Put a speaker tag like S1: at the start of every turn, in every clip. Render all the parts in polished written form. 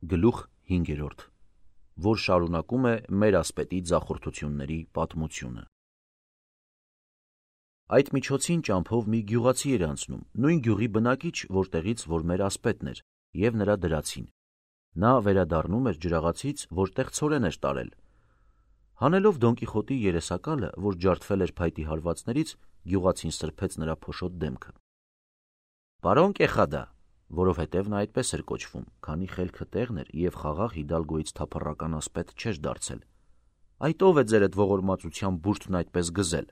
S1: Գլուխ 5, որ շարունակում է մեր ասպետի ձախորդությունների պատմությունը։ Այդ միջոցին ճամփով մի գյուղացի էր անցնում, նույն գյուղի բնակիչ, որտեղից որ մեր ասպետն էր, և նրա դրացին։ Նա վերադառնում էր ջրաղացից, որտեղ ցորեն էր տարել։ Հանելով Դոն Կիխոտի երեսակալը, որ ջարդվել էր փայտի հարվածներից, գյուղացին սրբեց նրա փոշոտ դեմքը։ «Պարոն Կեխադա», որովհետև նա այդպես էր կոչվում, քանի խելքը տեղն էր և խաղաղ Հիդալգոյից թափառական ասպետ չէր դարձել։ «Այդ ով է ձերդ ողորմածության բուրդն այդպես գզել»։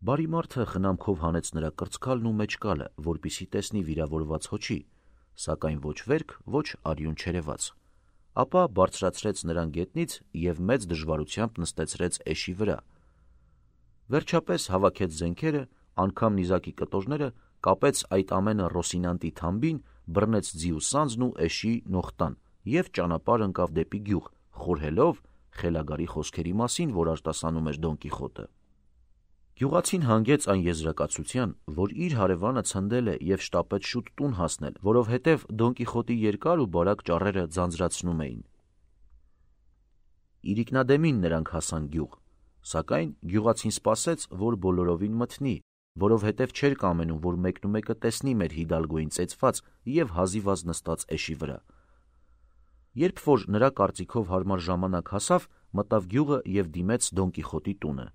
S1: Բարի մարդը խնամքով հանեց նրա կրծքալն ու մեջկալը, որպեսզի տեսնի վիրավորված հոչի, սակայն ոչ վերք, ոչ արյուն չերևաց։ Ապա բարձրացրեց նրան գետնից և մեծ դժվարությամբ նստեցրեց էշի վրա։ Վերջապես հավաքեց զենքերը, անգամ նիզակի կտորները, կապեց այդ ամենը Ռոսինանտի թամբին, բռնեց ձի ու սանձն ու էշի նողտան և ճանապարհ ընկավ դեպի գյուղ, խորհելով խելագարի խոսքերի մասին, որ արտասանում էր Դոն Կիխոտը։ Գյուղացին հանգեց այն եզրակացության, որ իր հարևանը ցնդել է և շտապեց շուտ տուն հասնել, որովհետև Դոն Կիխոտի երկար ու բարակ ճառերը ձանձրացնում էին։ Իրիկնադեմին նրանք հասան գյուղ, սակայն գյուղացին սպասեց, որ բոլորովին մթնի, որովհետև չէր կամենում, որ մեկնումեկը տեսնի մեր Հիդալգոյին ծեծված և հազիվազ նստած էշի վրա։ Երբ որ նրա կարծիքով հարմար ժամանակ հասավ, մտավ գյուղը և դիմեց Դոն Կիխոտի տունը։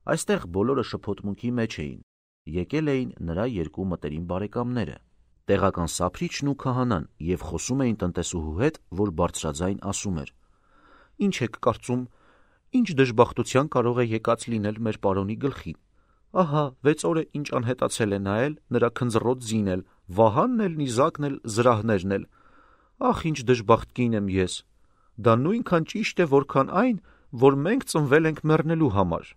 S1: Այստեղ բոլորը շփոթմունքի մեջ էին։ Եկել էին նրա երկու մտերիմ բարեկամները, տեղական սափրիչն ու քահանան, և խոսում էին տնտեսուհու հետ, որ բարձրաձայն ասում էր. «Ինչ եք կարծում, ինչ դժբախտության կարող է եկած լինել մեր պարոնի գլխին։ Ահա 6 օր է ինչ անհետացել է նա էլ, նրա քնձռոտ ձին էլ, վահանն էլ, նիզակն էլ, զրահներն էլ։ Ախ, ինչ դժբախտ կին եմ ես։ Դա նույնքան ճիշտ է, որքան այն, որ մենք ծնվել ենք մեռնելու համար։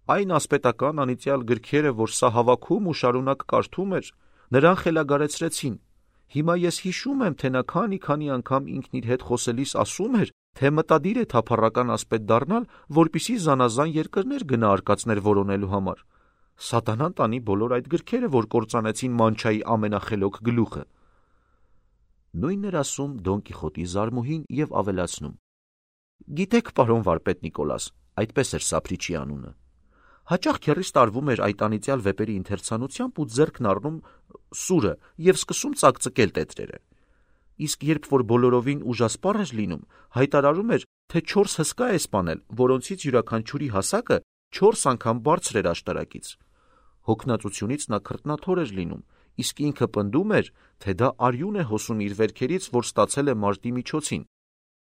S1: Այն ասպետական անիծյալ գրքերը, որ սա հավաքում ու շարունակ կարդում էր, նրան խելագարեցրեցին։ Հիմա ես հիշում եմ, թե նա քանի անգամ ինքն իր հետ խոսելիս ասում էր, թե մտադիր է թափառական ասպետ դառնալ, որպեսզի զանազան երկրներ գնա արկածներ որոնելու համար։ Սատանան տանի բոլոր այդ գրքերը, որ կործանեցին մանչայի ամենախելոք գլուխը»։ Նույնն էր ասում Դոն Կիխոտի զարմուհին և ավելացնում. «Գիտեք, պարոն վարպետ Նիկոլաս, այդպես էր սափրիչի անունը, հաճախ քեռիս տարվում էր այդ անիծյալ վեպերի ընթերցանությամբ ու ձեռքն առնում սուրը և սկսում ծակծկել տետրերը։ Իսկ երբ որ բոլորովին ուժասպառ էր լինում, հայտարարում էր, թե 4 հսկա է սպանել, որոնցից յուրաքանչյուրի հասակը 4 անգամ բարձր էր աշտարակից։ Հոգնածությունից նա քրտնաթոր էր լինում, իսկ ինքը պնդում էր, թե դա արյուն է հոսում իր վերքերից, որ ստացել է մարտի միջոցին։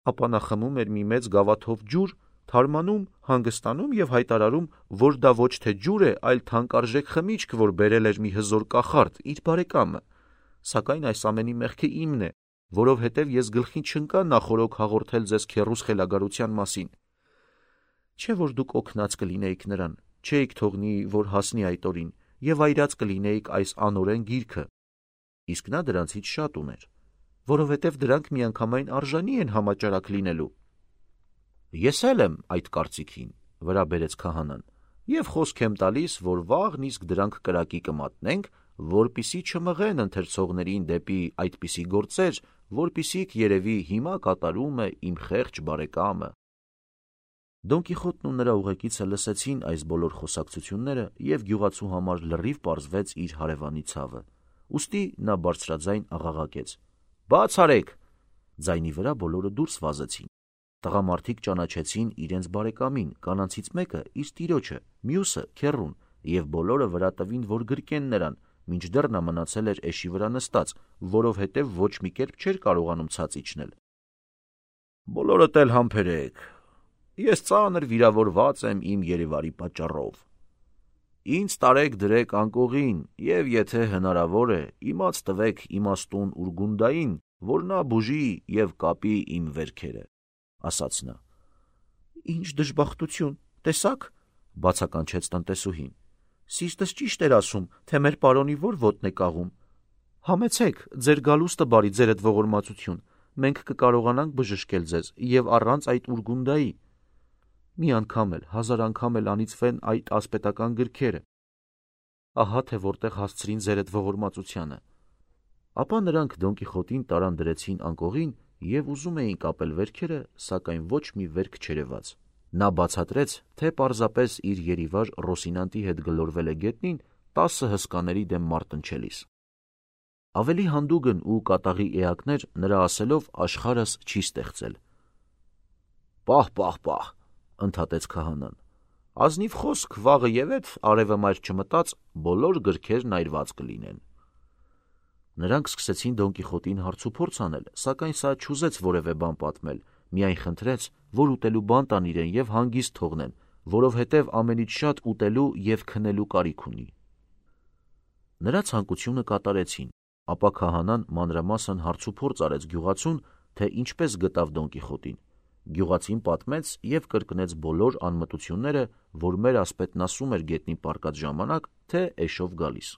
S1: Ապա նա խմում էր մի մեծ գավաթով ջուր, թարմանում, հանգստանում և հայտարարում, որ դա ոչ թե ջուր է, այլ թանկարժեք խմիչք, որ բերել էր մի հզոր կախարդ, իր բարեկամը։ Սակայն այս ամենի մեղքը իմն է, որովհետև ես գլխին չընկա նախօրոք հաղորդել ձեզ քեռուս խելագարության մասին։ Չէ՞ որ դուք օգնած կլինեիք նրան, չէիք թողնի, որ հասնի այդ օրին, և այրած կլինեիք այս անօրեն գիրքը։ Իսկ նա դրանցից շատ ուներ, որովհետև դրանք միանգամայն արժանի են համաճարակ լինելու։ Ես էլ եմ այդ կարծիքին, վրա բերեց քահանան, և խոսք եմ տալիս, որ վաղն իսկ դրանք կրակի կմատնենք, որպեսզի չմղեն ընթերցողներին դեպի այդպիսի գործեր, որպիսիք երևի հիմա կատարում է իմ խեղճ բարեկամը։ Դոն Կիխոտն ու նրա ուղեկիցը լսեցին այս բոլոր խոսակցությունները, և գյուղացու համար լրիվ պարզվեց իր հարևանի ցավը։ Ուստի նա բարձրաձայն աղաղակեց. «Բաց արեք»։ Ձայնի վրա բոլորը դուրս վազեցին։ Տղամարդիկ ճանաչեցին իրենց բարեկամին, կանանցից մեկը իր տիրոջը, մյուսը քեռուն, և բոլորը վրա տվին, որ գրկեն նրան, մինչդեռ նա մնացել էր էշի վրա նստած, որովհետև ոչ մի կերպ չէր կարողանում ցած իջնել։ «Բոլորդ էլ համբերեք, ես ծանր վիրավորված եմ իմ երևարի պատճառով։ Ինձ տարեք դրեք անկողին և եթե հնարավոր է, իմաց տվեք իմաստուն Ուրգունդային, որ նա բուժի և կապի իմ վերքերը», ասաց նա։ «Ինչ դժբախտություն, տեսա՞ք», բացականչեց տնտեսուհին։ «Սիրտս ճիշտ էր ասում, թե մեր պարոնի որ ոտն է կաղում։ Համեցեք, ձեր գալուստը բարի, ձերդ ողորմածություն, մենք կկարողանանք բժշկել ձեզ և առանց այդ Ուրգունդայի։ Մի անգամ էլ, 1000 անգամ էլ անիծվեն այդ ասպետական գրքերը։ Ահա թե որտեղ հասցրին ձերդ ողորմածությանը»։ Ապա նրանք Դոն Կիխոտին տարան դրեցին անկողին և ուզում էին կապել վերքերը, սակայն ոչ մի վերք չերևաց։ Նա բացատրեց, թե պարզապես իր երիվար Ռոսինանտի հետ գլորվել է գետնին 10 հսկաների դեմ մարտնչելիս։ Ավելի հանդուգն ու կատաղի էակներ նրա ասելով աշխարհս չի ստեղծել։ Պահ, ընդհատեց քահանան, ազնիվ խոսք վաղը եւ էդ արևը մայր չմտած բոլոր գրքերն այրված կլինեն։ Նրանք սկսեցին Դոն Կիխոտին հարցուփորձ անել, սակայն սա չուզեց որևէ բան պատմել, միայն խնդրեց, որ ուտելու բան տան իրեն եւ հանգիստ թողնեն, որովհետեւ ամենից շատ ուտելու եւ քնելու կարիք ունի։ Նրա ցանկությունը կատարեցին, ապա քահանան մանրամասն հարցուփորձ արեց գյուղացուն, թե ինչպես գտավ Դոն Կիխոտին։ Գյուղացին պատմեց եւ կրկնեց բոլոր անմտությունները, որ մեր ասպետն ասում էր գետնին պառկած ժամանակ, թե էշով գալիս։